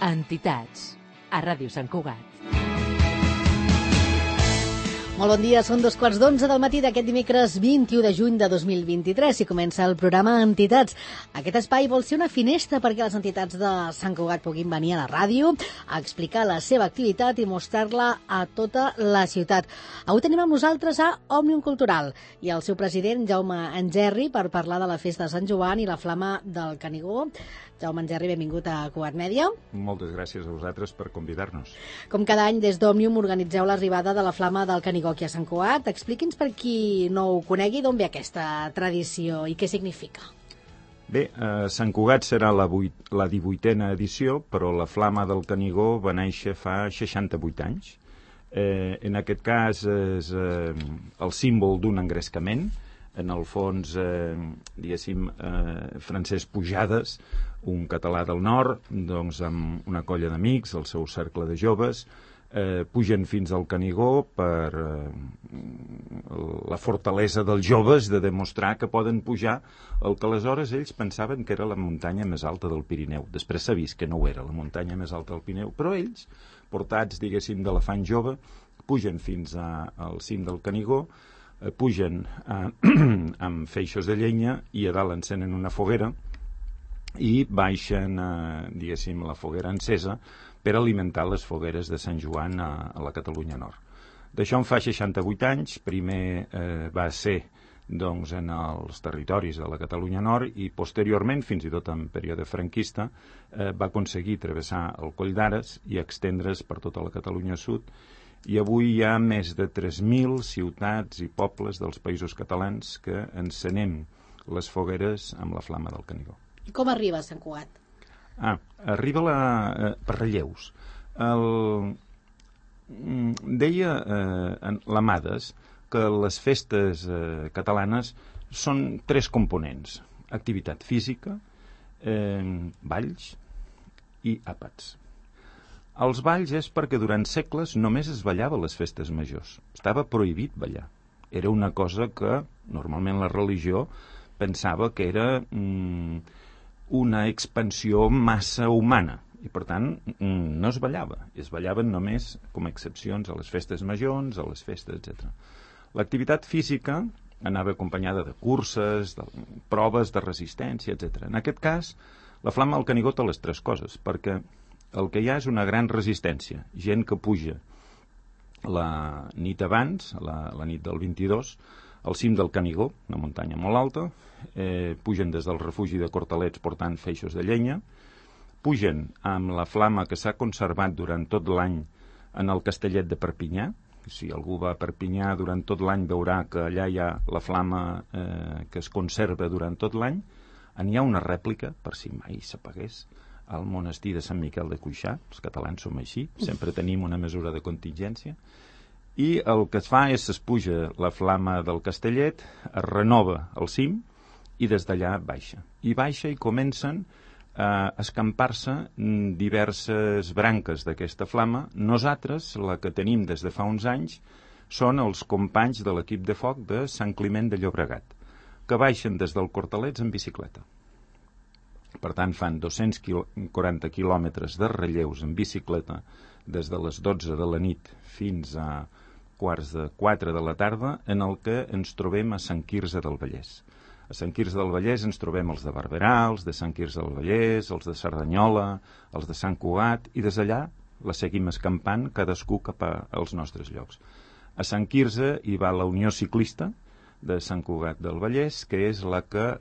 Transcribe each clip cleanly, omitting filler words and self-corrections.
Entitats, a Ràdio Sant Cugat. Molt bon dia, són 11:15 del matí d'aquest dimecres 21 de juny de 2023 i comença el programa Entitats. Aquest espai vol ser una finestra perquè les entitats de Sant Cugat puguin venir a la ràdio a explicar la seva activitat i mostrar-la a tota la ciutat. Avui tenim amb nosaltres a Òmnium Cultural i el seu president, Jaume Engerri, per parlar de la festa de Sant Joan i la flama del Canigó. Jaume Engerri, benvingut a Cugat Mèdia. Moltes gràcies a vosaltres per convidar-nos. Com cada any, des d'Òmnium organitzeu l'arribada de la flama del Canigó aquí a Sant Cugat. Expliqui'ns, per qui no ho conegui, d'on ve aquesta tradició i què significa. Bé, Sant Cugat serà la 18a edició, però la flama del Canigó va néixer fa 68 anys. En aquest cas és el símbol d'un engrescament. En el fons, diguéssim, Francesc Pujades, un català del nord, doncs amb una colla d'amics, el seu cercle de joves, pugen fins al Canigó per la fortalesa dels joves de demostrar que poden pujar el que aleshores ells pensaven que era la muntanya més alta del Pirineu. Després s'ha vist que no ho era la muntanya més alta del Pirineu, però ells, portats, diguéssim, de l'afany jove, pugen fins al cim del Canigó, pugen amb feixos de llenya i a dalt encenen una foguera i baixen, diguéssim, la foguera encesa per alimentar les fogueres de Sant Joan a la Catalunya Nord. D'això en fa 68 anys. Primer va ser doncs, en els territoris de la Catalunya Nord i posteriorment, fins i tot en període franquista, va aconseguir travessar el Coll d'Ares i extendre's per tota la Catalunya Sud. I avui hi ha més de 3.000 ciutats i pobles dels països catalans que encenem les fogueres amb la flama del Canigó. I com arriba a Sant Cugat? Arriba per relleus. Deia l'Amades que les festes catalanes són 3 components: activitat física, balls i àpats. Els balls és perquè durant segles només es ballava a les festes majors. Estava prohibit ballar. Era una cosa que normalment la religió pensava que era una expansió massa humana i per tant no es ballava. Es ballaven només com a excepcions a les festes majors, a les festes, etc. L'activitat física anava acompanyada de curses, de proves de resistència, etc. En aquest cas, la flama del Canigó té les 3 coses, perquè el que hi ha és una gran resistència. Gent que puja la nit abans, la nit del 22, al cim del Canigó, una muntanya molt alta, pugen des del refugi de Cortalets portant feixos de llenya, pugen amb la flama que s'ha conservat durant tot l'any en el Castellet de Perpinyà. Si algú va a Perpinyà durant tot l'any veurà que allà hi ha la flama que es conserva durant tot l'any. N'hi ha una rèplica, per si mai s'apagués, al monestir de Sant Miquel de Cuixà. Els catalans som així, sempre tenim una mesura de contingència. I el que es fa és es puja la flama del Castellet, es renova el cim i des d'allà baixa. I baixa i comencen a escampar-se diverses branques d'aquesta flama. Nosaltres, la que tenim des de fa uns anys, són els companys de l'equip de foc de Sant Climent de Llobregat, que baixen des del Cortalets en bicicleta. Per tant, fan 240 quilòmetres de relleus en bicicleta des de les 12 de la nit fins a 3:45 de la tarda, en el que ens trobem a Sant Quirze del Vallès. A Sant Quirze del Vallès ens trobem els de Barberà, els de Sant Quirze del Vallès, els de Cerdanyola, els de Sant Cugat, i des d'allà la seguim escampant cadascú cap als nostres llocs. A Sant Quirze hi va la Unió Ciclista de Sant Cugat del Vallès, que és la que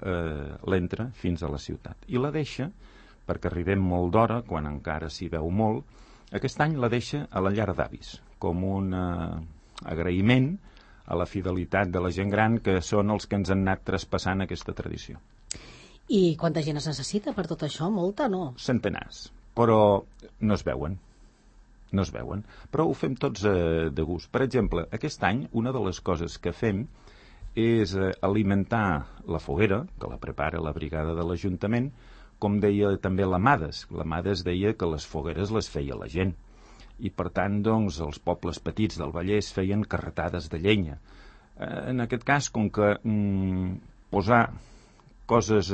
l'entra fins a la ciutat. I la deixa, perquè arribem molt d'hora, quan encara s'hi veu molt, aquest any la deixa a la llar d'avis, com un agraïment a la fidelitat de la gent gran, que són els que ens han anat traspassant aquesta tradició. I quanta gent es necessita per tot això? Molta, no? Centenars, però no es veuen. No es veuen, però ho fem tots de gust. Per exemple, aquest any una de les coses que fem és alimentar la foguera, que la prepara la brigada de l'Ajuntament, com deia també l'Amades. L'Amades deia que les fogueres les feia la gent. I per tant, doncs, els pobles petits del Vallès feien carretades de llenya. En aquest cas, com que posar coses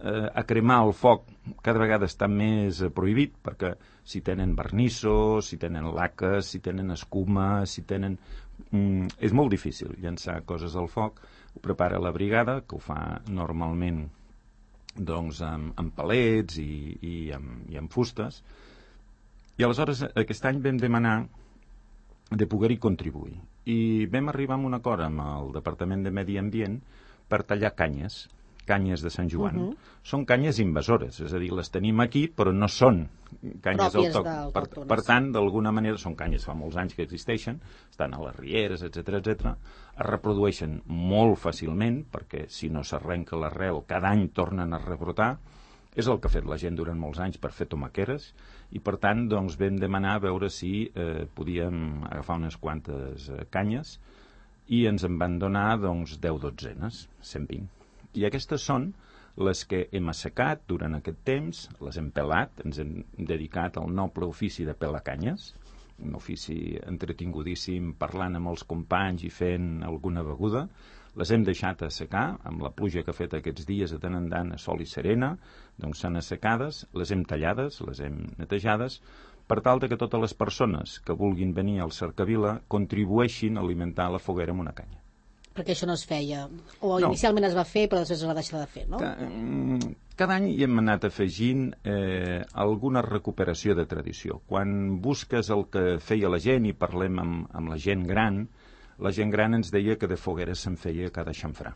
a cremar el foc cada vegada està més prohibit, perquè si tenen vernissos, si tenen laques, si tenen escuma, si tenen... és molt difícil llançar coses al foc. Ho prepara la brigada, que ho fa normalment doncs, amb palets i amb fustes. I aleshores aquest any vam demanar de poder-hi contribuir. I vam arribar a un acord amb el Departament de Medi Ambient per tallar canyes de Sant Joan. Són canyes invasores, és a dir, les tenim aquí, però no són canyes autòctones. Per tant, d'alguna manera, són canyes fa molts anys que existeixen, estan a les rieres, etc. Es reprodueixen molt fàcilment, perquè si no s'arrenca l'arrel, cada any tornen a rebrotar. És el que ha fet la gent durant molts anys per fer tomaqueres, i per tant doncs, vam demanar a veure si podíem agafar unes quantes canyes, i ens en van donar doncs, 10 dotzenes, 120. I aquestes són les que hem assecat durant aquest temps, les hem pelat, ens hem dedicat al noble ofici de pelar canyes, un ofici entretingudíssim, parlant amb els companys i fent alguna beguda. Les hem deixat assecar, amb la pluja que ha fet aquests dies de tant en tant a sol i serena, doncs s'han assecades, les hem tallades, les hem netejades, per tal de que totes les persones que vulguin venir al Cercavila contribueixin a alimentar la foguera amb una canya. Perquè això no es feia, o inicialment es va fer però després es va deixar de fer, no? Cada any hi hem anat afegint alguna recuperació de tradició. Quan busques el que feia la gent i parlem amb la gent gran ens deia que de fogueres se'n feia cada xamfrà.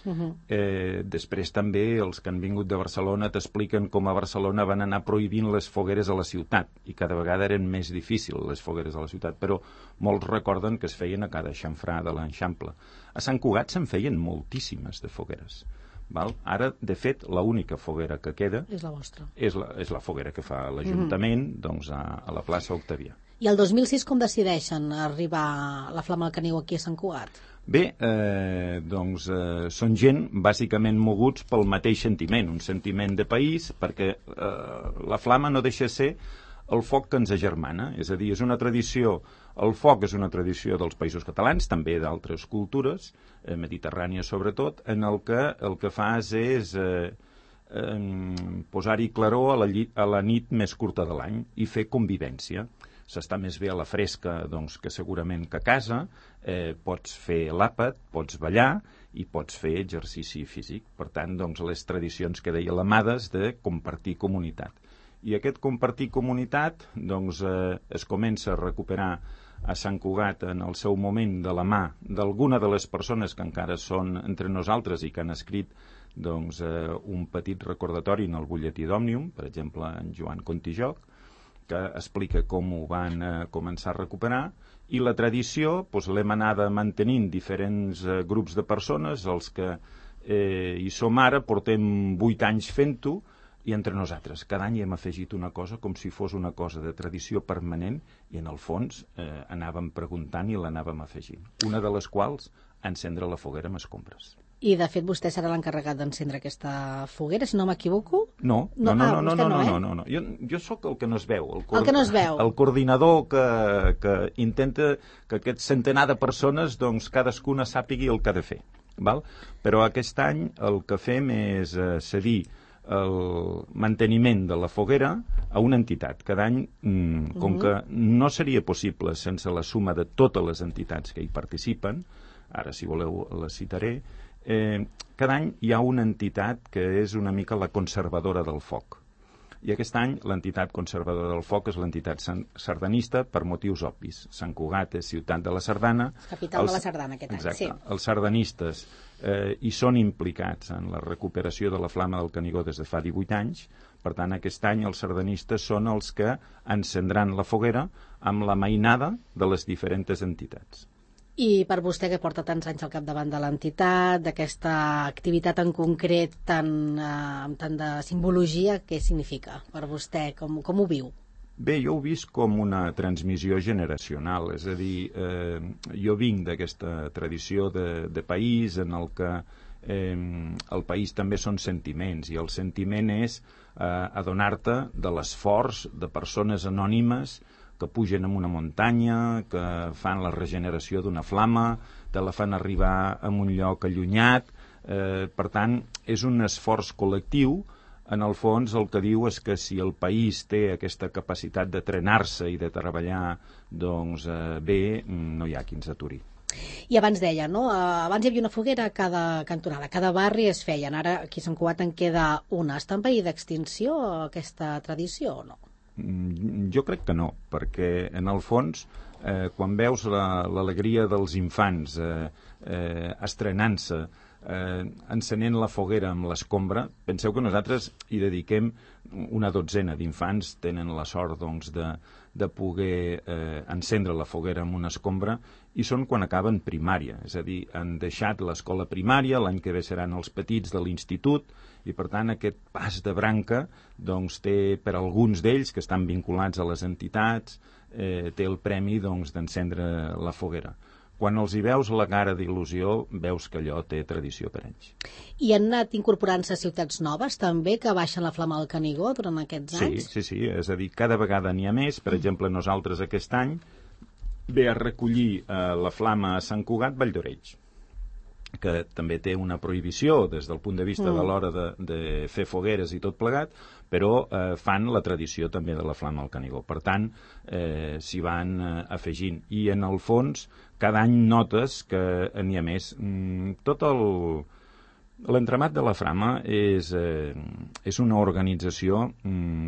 Després també els que han vingut de Barcelona t'expliquen com a Barcelona van anar prohibint les fogueres a la ciutat i cada vegada eren més difícils les fogueres a la ciutat, però molts recorden que es feien a cada xamfrà de l'Eixample. A Sant Cugat se'n feien moltíssimes de fogueres. Val? Ara, de fet, l'única foguera que queda és la vostra. És la foguera que fa l'Ajuntament doncs, a la plaça Octavià. I el 2006 com decideixen arribar la Flama del Canigó aquí a Sant Cugat? Bé, són gent bàsicament moguts pel mateix sentiment, un sentiment de país, perquè la flama no deixa de ser el foc que ens agermana, és a dir, és una tradició, el foc és una tradició dels països catalans, també d'altres cultures, mediterrànies sobretot, en el que fas és posar-hi claror a la nit més curta de l'any i fer convivència. S'està més bé a la fresca doncs, que segurament que a casa, pots fer l'àpat, pots ballar i pots fer exercici físic. Per tant, doncs, les tradicions que deia l'Amades de compartir comunitat. I aquest compartir comunitat doncs, es comença a recuperar a Sant Cugat en el seu moment de la mà d'alguna de les persones que encara són entre nosaltres i que han escrit doncs, un petit recordatori en el butlletí d'Òmnium, per exemple, en Joan Contijoc, que explica com ho van començar a recuperar, i la tradició doncs, l'hem anada mantenint diferents grups de persones, els que hi som ara, portem 8 anys fent-ho, i entre nosaltres. Cada any hem afegit una cosa com si fos una cosa de tradició permanent i en el fons anàvem preguntant i l'anàvem afegint. Una de les quals, encendre la foguera amb escombres. I, de fet, vostè serà l'encarregat d'encendre aquesta foguera, si no m'equivoco? No. Jo sóc el que no es veu. El que no es veu. El coordinador que intenta que aquest centenar de persones, doncs, cadascuna sàpigui el que ha de fer. Val? Però aquest any el que fem és cedir el manteniment de la foguera a una entitat. Cada any, com que no seria possible sense la suma de totes les entitats que hi participen, ara si voleu les citaré, cada any hi ha una entitat que és una mica la conservadora del foc. I aquest any l'entitat conservadora del foc és l'entitat sardanista per motius obvis. Sant Cugat és ciutat de la sardana. Capital de la sardana aquest any, exacte, sí. Els sardanistes hi són implicats en la recuperació de la Flama del Canigó des de fa 18 anys. Per tant, aquest any els sardanistes són els que encendran la foguera amb la mainada de les diferents entitats. I per vostè, que porta tants anys al capdavant de l'entitat, d'aquesta activitat en concret amb tant de simbologia, què significa per vostè? Com ho viu? Bé, jo ho he vist com una transmissió generacional, és a dir, jo vinc d'aquesta tradició de país en el que el país també són sentiments, i el sentiment és adonar-te de l'esforç de persones anònimes que pugen en una muntanya, que fan la regeneració d'una flama, te la fan arribar a un lloc allunyat, Per tant, és un esforç col·lectiu. En el fons, el que diu és que si el país té aquesta capacitat de trenar-se i de treballar bé, no hi ha qui ens aturi. I abans deia, no? Abans hi havia una foguera a cada cantonada, a cada barri es feien. Ara aquí a Sant Cugat en queda una. Està en perill d'extinció aquesta tradició o no? Jo crec que no, perquè en el fons, quan veus l'alegria dels infants estrenant-se, encenent la foguera amb l'escombra, penseu que nosaltres hi dediquem una dotzena d'infants, tenen la sort de poder encendre la foguera amb una escombra, i són quan acaben primària, és a dir, han deixat l'escola primària, l'any que ve seran els petits de l'institut, i per tant aquest pas de branca té per alguns d'ells que estan vinculats a les entitats, té el premi d'encendre la foguera. Quan els hi veus la cara d'il·lusió, veus que allò té tradició per anys. I han anat incorporant-se ciutats noves, també, que baixen la flama del Canigó durant aquests anys? Sí, és a dir, cada vegada n'hi ha més. Per exemple, nosaltres aquest any ve a recollir la flama a Sant Cugat Valldoreix, que també té una prohibició des del punt de vista de l'hora de fer fogueres i tot plegat, però fan la tradició també de la flama al Canigó. Per tant, s'hi van afegint. I en el fons, cada any notes que n'hi ha més. Tot l'entramat de la flama és una organització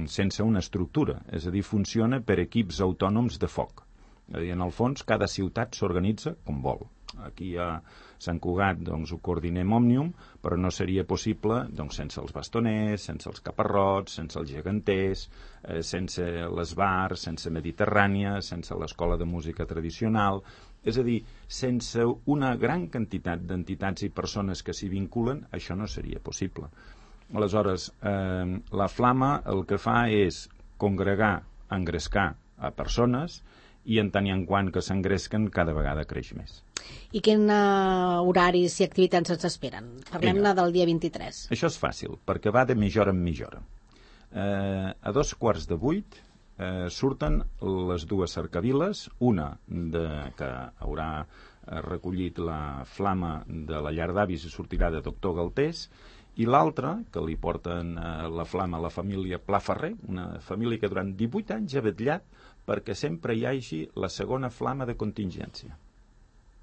sense una estructura, és a dir, funciona per equips autònoms de foc. És a dir, en el fons, cada ciutat s'organitza com vol. Aquí a Sant Cugat ho coordinem Òmnium, però no seria possible sense els bastoners, sense els caparrots, sense els geganters, sense les bars, sense Mediterrània, sense l'Escola de Música Tradicional. És a dir, sense una gran quantitat d'entitats i persones que s'hi vinculen, això no seria possible. Aleshores, la flama el que fa és congregar, engrescar a persones, i en tant i en quant que s'engresquen cada vegada creix més. I quin horaris i activitats ens esperen? Parlem-ne del dia 23. Això és fàcil, perquè va de mitja hora en mitja hora. A 7:45 surten les dues cercaviles, una que haurà recollit la flama de la llar d'avis i sortirà de Doctor Galtés, i l'altra, que li porten la flama a la família Pla Ferrer, una família que durant 18 anys ha vetllat perquè sempre hi hagi la segona flama de contingència.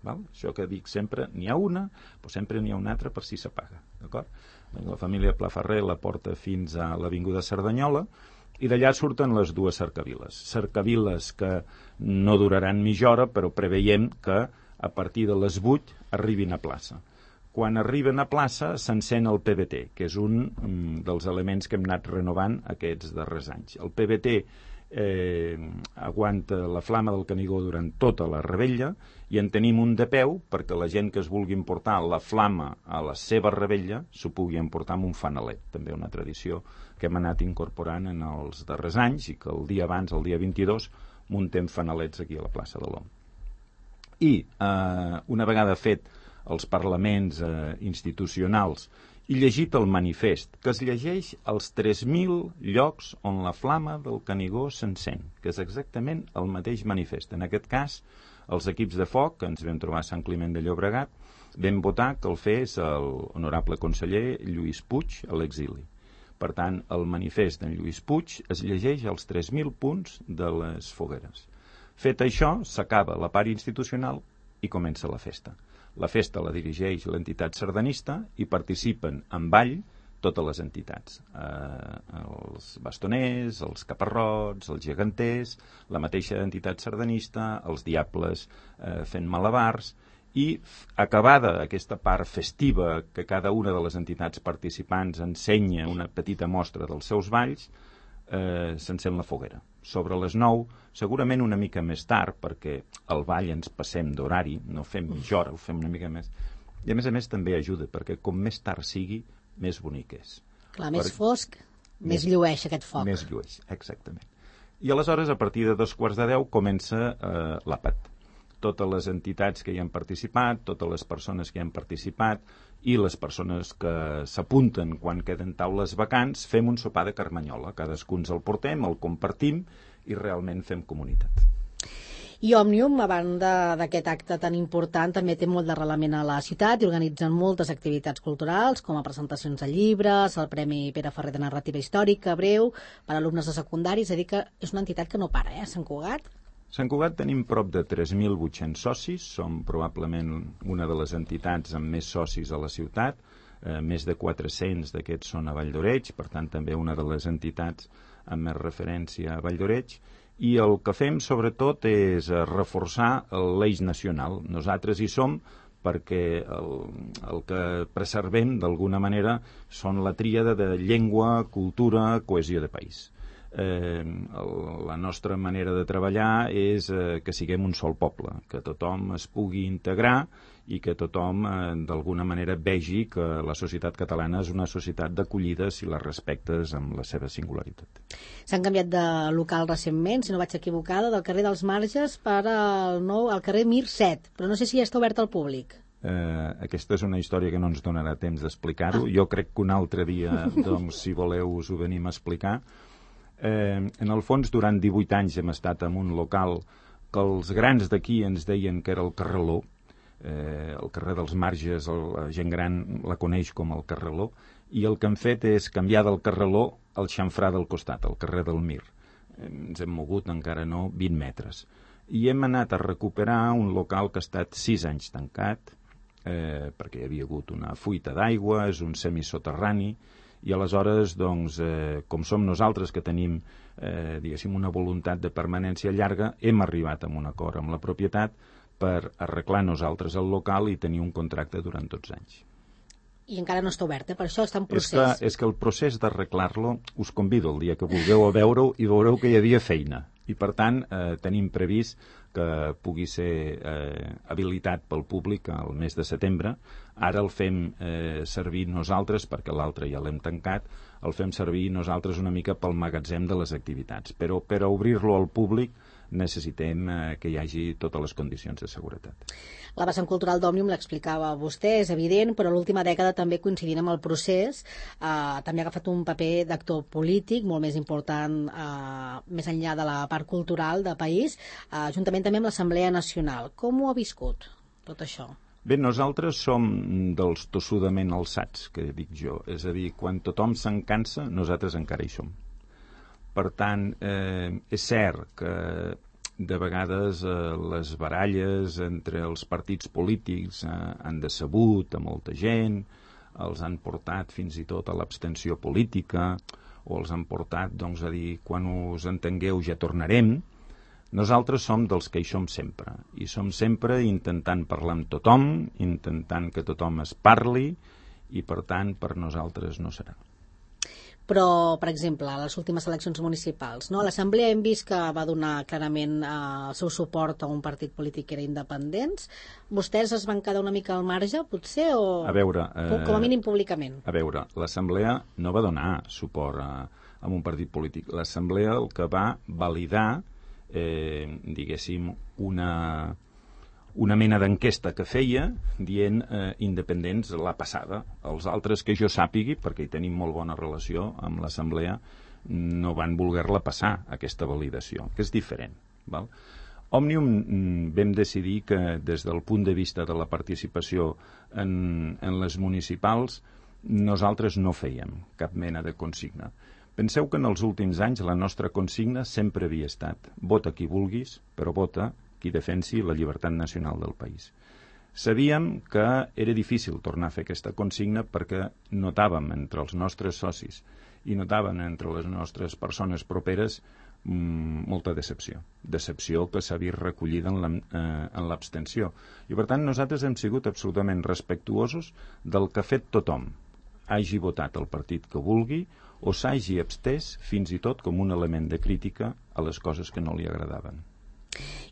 Val? Això que dic sempre, n'hi ha una, però sempre n'hi ha una altra per si s'apaga. D'acord? La família Pla Ferrer la porta fins a l'Avinguda Cerdanyola, i d'allà surten les dues cercaviles. Cercaviles que no duraran mitja hora, però preveiem que a partir de les 8 arribin a plaça. Quan arriben a plaça s'encén el PBT, que és un dels elements que hem anat renovant aquests darrers anys. El PBT aguanta la flama del Canigó durant tota la revetlla, i en tenim un de peu perquè la gent que es vulgui emportar la flama a la seva revetlla s'ho pugui emportar amb un fanalet, també una tradició que hem anat incorporant en els darrers anys, i que el dia abans, el dia 22, muntem fanalets aquí a la plaça de l'Om. I una vegada fet els parlaments institucionals i llegit el manifest, que es llegeix als 3.000 llocs on la flama del Canigó s'encén, que és exactament el mateix manifest. En aquest cas, els equips de foc, que ens vam trobar a Sant Climent de Llobregat, vam votar que el fes l'honorable conseller Lluís Puig a l'exili. Per tant, el manifest d'en Lluís Puig es llegeix als 3.000 punts de les fogueres. Fet això, s'acaba la part institucional i comença la festa. La festa la dirigeix l'entitat sardanista i participen en ball totes les entitats. Els bastoners, els caparrots, els geganters, la mateixa entitat sardanista, els diables fent malabars, i acabada aquesta part festiva que cada una de les entitats participants ensenya una petita mostra dels seus balls, s'encén la foguera. Sobre les 9, segurament una mica més tard, perquè el ball ens passem d'horari, no fem mitja hora, ho fem una mica més. I a més també ajuda, perquè com més tard sigui, més bonic és. Clar, més fosc, més llueix aquest foc. Més llueix, exactament. I aleshores, a partir de 9:45, comença l'àpat. Totes les entitats que hi han participat, totes les persones que hi han participat i les persones que s'apunten quan queden taules vacants, fem un sopar de carmanyola. Cadascú ens el portem, el compartim i realment fem comunitat. I Òmnium, a banda d'aquest acte tan important, també té molt d'arrelament a la ciutat i organitzen moltes activitats culturals, com a presentacions de llibres, el Premi Pere Ferrer de Narrativa Històrica, breu, per a alumnes de secundari, és a dir que és una entitat que no para, Sant Cugat. Sant Cugat tenim prop de 3.800 socis, som probablement una de les entitats amb més socis a la ciutat, més de 400 d'aquests són a Vall d'Oreig, per tant també una de les entitats amb més referència a Vall d'Oreig, i el que fem sobretot és reforçar l'eix nacional. Nosaltres hi som perquè el que preservem d'alguna manera són la tríada de llengua, cultura, cohesió de país. La nostra manera de treballar és que siguem un sol poble, que tothom es pugui integrar i que tothom d'alguna manera vegi que la societat catalana és una societat d'acollida si la respectes amb la seva singularitat. S'han canviat de local recentment, si no vaig equivocada, del carrer dels Marges per al carrer Mir 7, però no sé si ja està obert al públic. Aquesta és una història que no ens donarà temps d'explicar-ho. Jo crec que un altre dia, doncs, si voleu, us ho venim a explicar. En el fons, durant 18 anys hem estat en un local que els grans d'aquí ens deien que era el Carreló. El carrer dels Marges, la gent gran la coneix com el Carreló, i el que hem fet és canviar del Carreló al xamfrà del costat, al carrer del Mir. Ens hem mogut encara no 20 metres. I hem anat a recuperar un local que ha estat 6 anys tancat, perquè hi havia hagut una fuita d'aigua, és un semisoterrani, i aleshores, doncs, com som nosaltres que tenim, diguéssim, una voluntat de permanència llarga, hem arribat a un acord amb la propietat per arreglar nosaltres el local i tenir un contracte durant 12 anys. I encara no està obert, per això està en procés. És que el procés d'arreglar-lo, us convido el dia que vulgueu a veure-ho i veureu que hi havia feina. I, per tant, tenim previst que pugui ser habilitat pel públic al mes de setembre. Ara el fem servir nosaltres, perquè l'altre ja l'hem tancat, el fem servir nosaltres una mica pel magatzem de les activitats. Però per a obrir-lo al públic necessitem que hi hagi totes les condicions de seguretat. La vessant cultural d'Òmnium l'explicava vostè, és evident, però l'última dècada també coincidint amb el procés, també ha agafat un paper d'actor polític molt més important, més enllà de la part cultural del país, juntament també amb l'Assemblea Nacional. Com ho ha viscut, tot això? Bé, nosaltres som dels tossudament alçats, que dic jo. És a dir, quan tothom se'n cansa, nosaltres encara hi som. Per tant, és cert que de vegades les baralles entre els partits polítics han decebut a molta gent, els han portat fins i tot a l'abstenció política, o els han portat, doncs, a dir, quan us entengueu ja tornarem. Nosaltres som dels que hi som sempre, i som sempre intentant parlar amb tothom, intentant que tothom es parli, i per tant per nosaltres no serà. Però, per exemple, a les últimes eleccions municipals, no? L'Assemblea hem vist que va donar clarament el seu suport a un partit polític que era independents. Vostès es van quedar una mica al marge, potser, o a veure, com a mínim públicament? A veure, l'Assemblea no va donar suport a un partit polític. L'Assemblea el que va validar, diguéssim, una mena d'enquesta que feia dient independents la passada. Els altres que jo sàpigui, perquè hi tenim molt bona relació amb l'Assemblea, no van voler-la passar, aquesta validació, que és diferent. Val? Òmnium vam decidir que des del punt de vista de la participació en les municipals nosaltres no fèiem cap mena de consigna. Penseu que en els últims anys la nostra consigna sempre havia estat vota qui vulguis, però vota qui defensi la llibertat nacional del país. Sabíem que era difícil tornar a fer aquesta consigna perquè notàvem entre els nostres socis i notàvem entre les nostres persones properes molta decepció. Decepció que s'ha vist recollida en l'abstenció. I per tant nosaltres hem sigut absolutament respectuosos del que ha fet tothom. Hagi votat el partit que vulgui o s'hagi abstès fins i tot com un element de crítica a les coses que no li agradaven.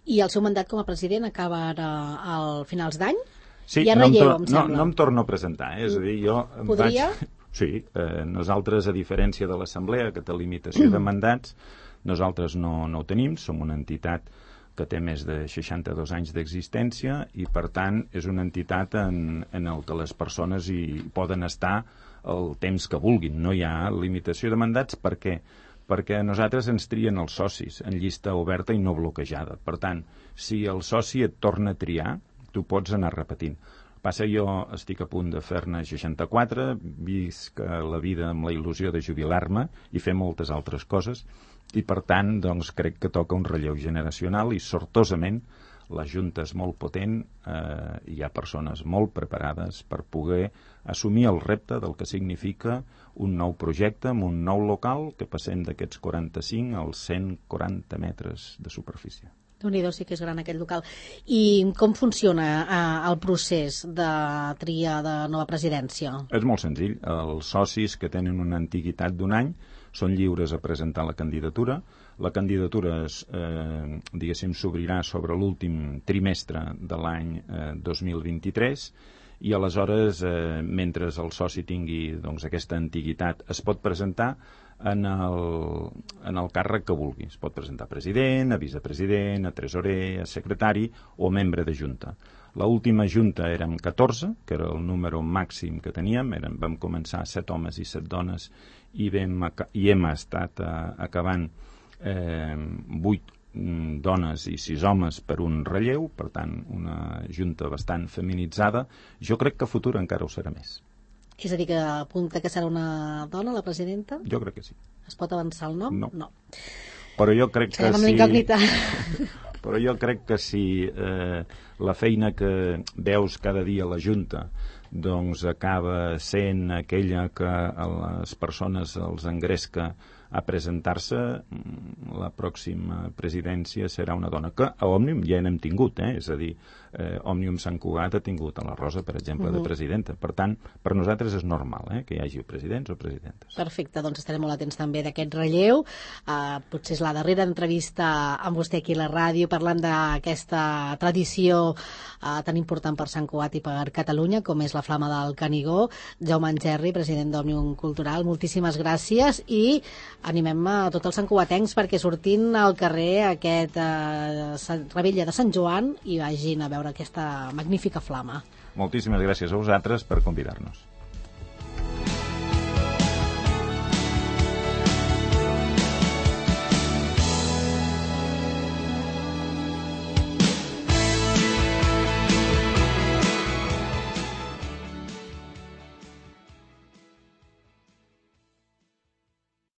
I el seu mandat com a president acaba ara al finals d'any? Sí, ja relleu, em sembla. No em torno a presentar, és a dir, jo... Podria? Sí, nosaltres, a diferència de l'Assemblea, que té limitació de mandats, nosaltres no ho tenim, som una entitat que té més de 62 anys d'existència i, per tant, és una entitat en el que les persones hi poden estar el temps que vulguin. No hi ha limitació de mandats. Per què? perquè a nosaltres ens trien els socis en llista oberta i no bloquejada. Per tant, si el soci et torna a triar, tu pots anar repetint. Passa, jo estic a punt de fer-ne 64, visc la vida amb la il·lusió de jubilar-me i fer moltes altres coses, i per tant, doncs, crec que toca un relleu generacional i, sortosament, la Junta és molt potent, hi ha persones molt preparades per poder assumir el repte del que significa un nou projecte amb un nou local que passem d'aquests 45 als 140 metres de superfície. Déu-n'hi-do, sí que és gran aquest local. I com funciona el procés de tria de nova presidència? És molt senzill. Els socis que tenen una antiguitat d'1 any són lliures a presentar la candidatura. La candidatura diguéssim, s'obrirà sobre l'últim trimestre de l'any 2023 i aleshores, mentre el soci tingui doncs, aquesta antiguitat, es pot presentar en el càrrec que vulgui. Es pot presentar a president, a vicepresident, a tresorer, a secretari o membre de junta. L'última junta érem 14, que era el número màxim que teníem. Vam començar 7 homes i 7 dones i hem estat acabant 8 dones i 6 homes per un relleu, per tant, una junta bastant feminitzada. Jo crec que a futur encara ho serà més. És a dir, que apunta que serà una dona, la presidenta? Jo crec que sí. Es pot avançar el nom? No. Però jo crec que sí. Però jo crec que si la feina que veus cada dia a la Junta doncs acaba sent aquella que a les persones els engresca a presentar-se, la pròxima presidència serà una dona, que a Òmnium ja n'hem tingut, és a dir, Òmnium Sant Cugat ha tingut a la Rosa, per exemple, de presidenta. Per tant, per nosaltres és normal que hi hagi presidents o presidentes. Perfecte, doncs estarem molt atents també d'aquest relleu. Potser és la darrera entrevista amb vostè aquí a la ràdio, parlant d'aquesta tradició tan important per Sant Cugat i per Catalunya, com és la Flama del Canigó. Jaume Angerri, president d'Òmnium Cultural, moltíssimes gràcies i animem a tots els santcugatencs perquè sortin al carrer aquest Revetlla de Sant Joan i vagin a veure aquesta magnífica flama. Moltíssimes gràcies a vosaltres per convidar-nos.